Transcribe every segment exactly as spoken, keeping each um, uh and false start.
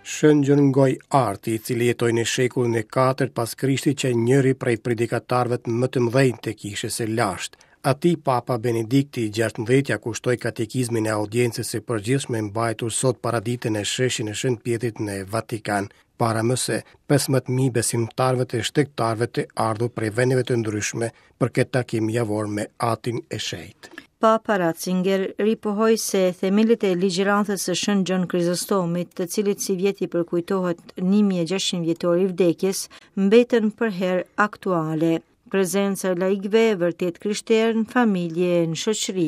Shën Gjon Gojëarti, i cili jetoi në shekullin e katërt pas Krishtit, qe njëri prej predikatarëve më të mëdhenj të kishës së lashtë. Atij Papa Benedikti i gjashtëmbëdhjetë ia kushtoi katekizmin e audiencës së përgjithshme mbajtur sot paradite në sheshin e Shën Pjetrit në Vatikan, para më se pesëmbëdhjetë mijë besimtarëve të shtegtarëve të ardhur prej vendeve të ndryshme për këtë takim javor me Atin e Shenjtë. Papa Ratzinger ripohoi se themelet e ligjëratës së Shën Gjon Krizostomit, të cilit sivjet i përkujtohet një mijë e gjashtëqind vjetori i vdekjes, mbeten përherë aktuale. Prezenca e laikëve vërtet krishterë në familje e në shoqëri.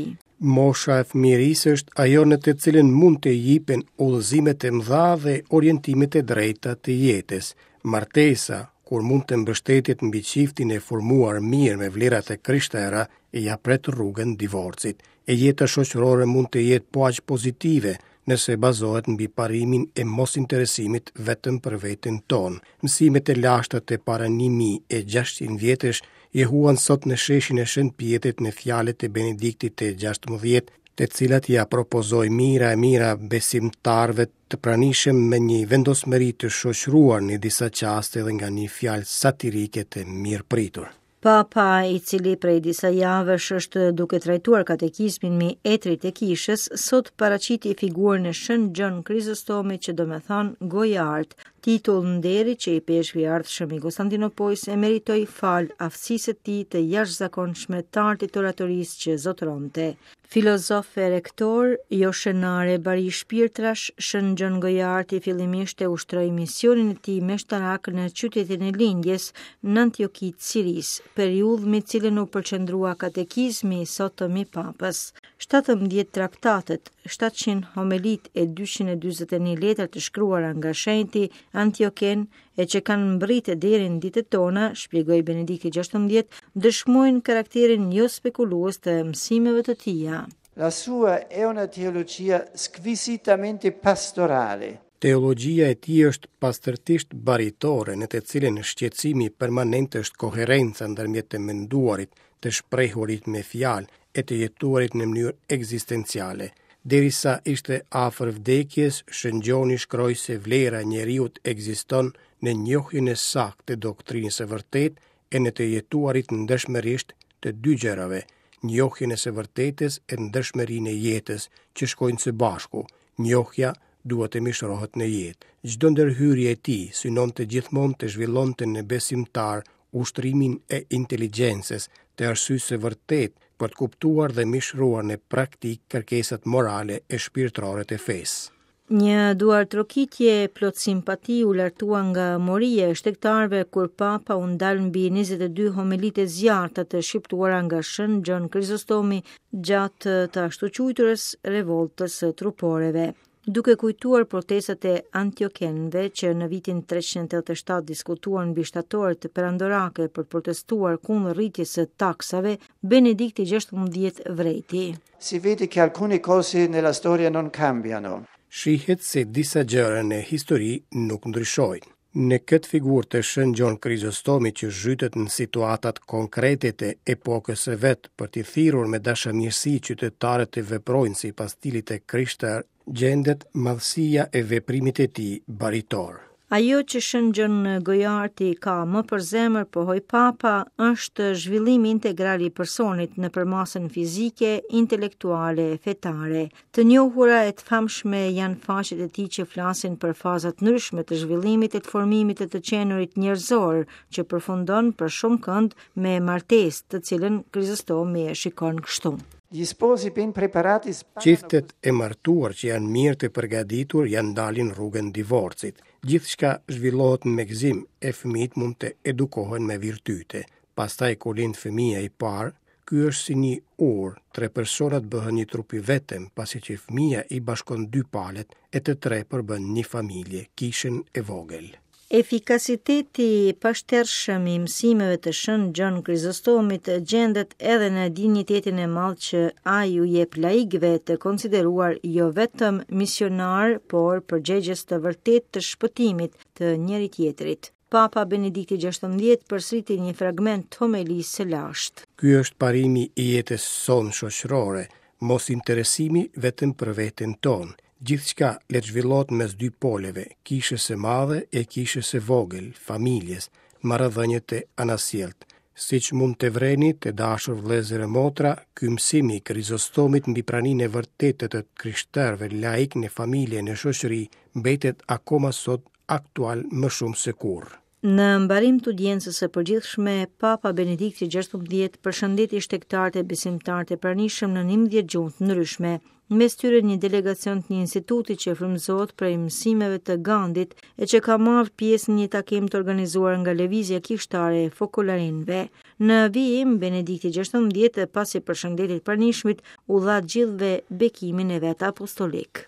Mosha e fëmijërisë është ajo në të cilën mund të jipen udhëzimet e mëdha dhe orientimet e drejta të jetës. Martesa, kur mund të mbështetet mbi çiftin e formuar mirë me vlerat e krishtera, ia pret rrugën divorcit. E jeta shoqërore mund të jetë po aq pozitive nëse bazohet mbi parimin e mosinteresimit vetëm për veten tonë. Mësimet e lashta të para një mijë e gjashtëqind vjetësh jehuan sot në sheshin e Shën Pjetrit në fjalët e Benediktit të gjashtëmbëdhjetë, të cilat ia propozoi mijëra e mijëra besimtarëve të pranishëm me një vendosmëri të shoqëruar në disa çaste edhe nga një fjalë satirike të mirëpritur. Papa, i cili prej disa javësh është duke trajtuar katekizmin me etrit e kishës, sot paraqiti figurën e Shën Gjon Krizostomit, që do me thënë Gojart, titull nderi që ipeshkvi i ardhshëm i Konstantinopojës e meritoi fal aftësisë së tij të jashtëzakonshme të artit të oratorisë që zotëronte. Filozof e rektor, jo shënare bari shpirtrash, Shën Gjon Gojëarti fillimisht e ushtroi misionin e tij meshtarak në qytetin e lindjes, në Antioki të Sirisë, periudhë me cilën u përqendrua katekizmi i sotëm i papës. Shtatëmbëdhjetë traktatet, shtatëqind homelit e dyqind e dyzet e një letra të shkruara nga shenjti Antioken e që kanë mbërritur deri në ditët tona, shpjegoi Benedikti gjashtëmbëdhjetë, dëshmojnë karakterin jo spekulues të mësimeve të tija. La sua è una teologia squisitamente pastorale. Teologjia e tij është pastërtisht baritore, në të cilën shqetësimi permanent është koherenca ndërmjet të menduarit, të shprehurit me fjalë e të jetuarit në mënyrë ekzistenciale. Derisa ishte afër vdekjes, Shën Gjoni shkroi se vlera e njeriut ekziston në njohjen e saktë të doktrinës së vërtetë e në të jetuarit ndershmërisht të dy gjërave, njohjen e së vërtetës e ndershmërinë e jetës, që shkojnë së bashku. Njohja duhet të mishërohet në jetë. Çdo ndërhyrje e tij synonte gjithmonë të zhvillonte në besimtar ushtrimin e inteligjencës, të arsyes së vërtetë për të kuptuar dhe mishëruar në praktikë kërkesat morale e shpirtërore të fesë. Një duartrokitje plot simpati u lartua nga moria e shtegtarëve kur Papa u ndal mbi njëzet e dy homelitë e zjarrta të shqiptuara nga Shën Gjon Krizostomi gjatë të ashtuquajturës revoltës së truporeve. Duke kujtuar protestat e Antiokenëve që në vitin treqind e tetëdhjetë e shtatë diskutuan mbi shtatoret perandorake për të protestuar kundër rritjes së taksave, Benedikti gjashtëmbëdhjetë vrejti. Si vede che alcune cose nella storia non cambiano. Shihet se disa gjëra në histori nuk ndryshojnë. Në këtë figurë të Shën Gjon Krizostomit që zhytet në situatat konkrete të epokës së vet për t'i thirrur me dashamirësi qytetarët të veprojnë sipas stilit të krishterë, gjendet madhësia e veprimit të tij baritor. Ajo që Shën Gjon Gojëarti ka më për zemër, pohoi Papa, është zhvillimi integral i personit në përmasën fizike, intelektuale e fetare. Të njohura e të famshme janë faqet e tij që flasin për fazat ndryshme të zhvillimit e të formimit të të qenurit njerëzor, që përfundon për shumë kënd me martesë, të cilën Krizostomi e shikon kështu. Gli sposi ben preparati sparano Çiftet e martuar që janë mirë të përgatitur janë ndalin rrugën divorcit. Gjithçka zhvillohet me gëzim e fëmijët mund të edukohen me virtyte. Pastaj kur lind fëmia i parë, ky është si një urë, tre personat bëhen një trup i vetëm, pasi që fëmia i bashkon dy palët e të tre përbën një familje, kishën e vogël. Efikasiteti i pashtershëm i mësimeve të Shën Gjon Krizostomit gjendet edhe në dinjitetin e madh që ai u jep laikëve të konsideruar jo vetëm misionar, por përgjegjës të vërtetë të shpëtimit të njëri tjetrit. Papa Benedikti gjashtëmbëdhjetë përsëriti një fragment të homelisë së lashtë. Ky është parimi i jetës sonë shoqërore, mos interesimi vetëm për veten tonë. Gjithçka le të zhvillohet mes dy poleve, kishës së madhe e kishës së vogël, familjes, marrëdhëniet e anasjelltë. Siç mund të vreni, të dashur vëllezër e motra, ky mësim i Krizostomit mbi praninë e vërtetë të krishterëve laik në familje e në shoqëri mbetet akoma sot aktual më shumë se kurrë. Në mbarim të audiencës së përgjithshme, Papa Benedikti gjashtëmbëdhjetë përshëndeti shtegtarët e besimtarët e pranishëm në njëmbëdhjetë gjuhë të ndryshme, mes tyre një delegacion të një instituti që frymëzohet prej mësimeve të Gandit e që ka marrë pjesë në një takim të organizuar nga Lëvizja Kishtare e Fokolarinëve. Në vijim, Benedikti gjashtëmbëdhjetë, pasi përshëndeti të pranishmit, u dha gjithëve bekimin e vet apostolik.